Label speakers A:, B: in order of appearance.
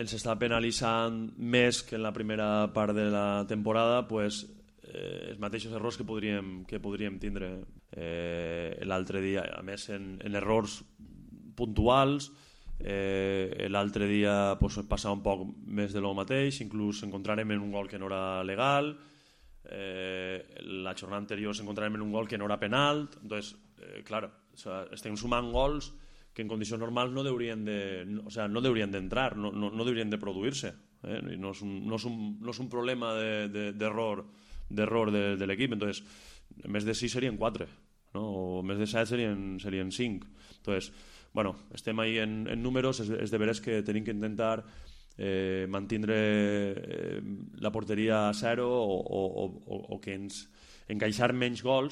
A: ens està penalitzant més que en la primera part de la temporada, pues, els mateixos errors que podríem tindre l'altre dia, a més en errors puntuals. L'altre dia pues, passava un poc més de lo mateix, inclús encontrarem en un gol que no era legal, la jornada anterior s'encontrarem en un gol que no era penal. Entonces, claro, o sea, estem sumant gols que en condicions normals no deurien d'entrar, no deurien de produir-se, no és un problema d'error de l'equip. Entonces, en més de 6 serien 4, no? O més de 7 serien 5. Entonces, bueno, estem ahí en números. És de veres que tenim que intentar mantindre la porteria a 0 o que ens encaixar menys gols,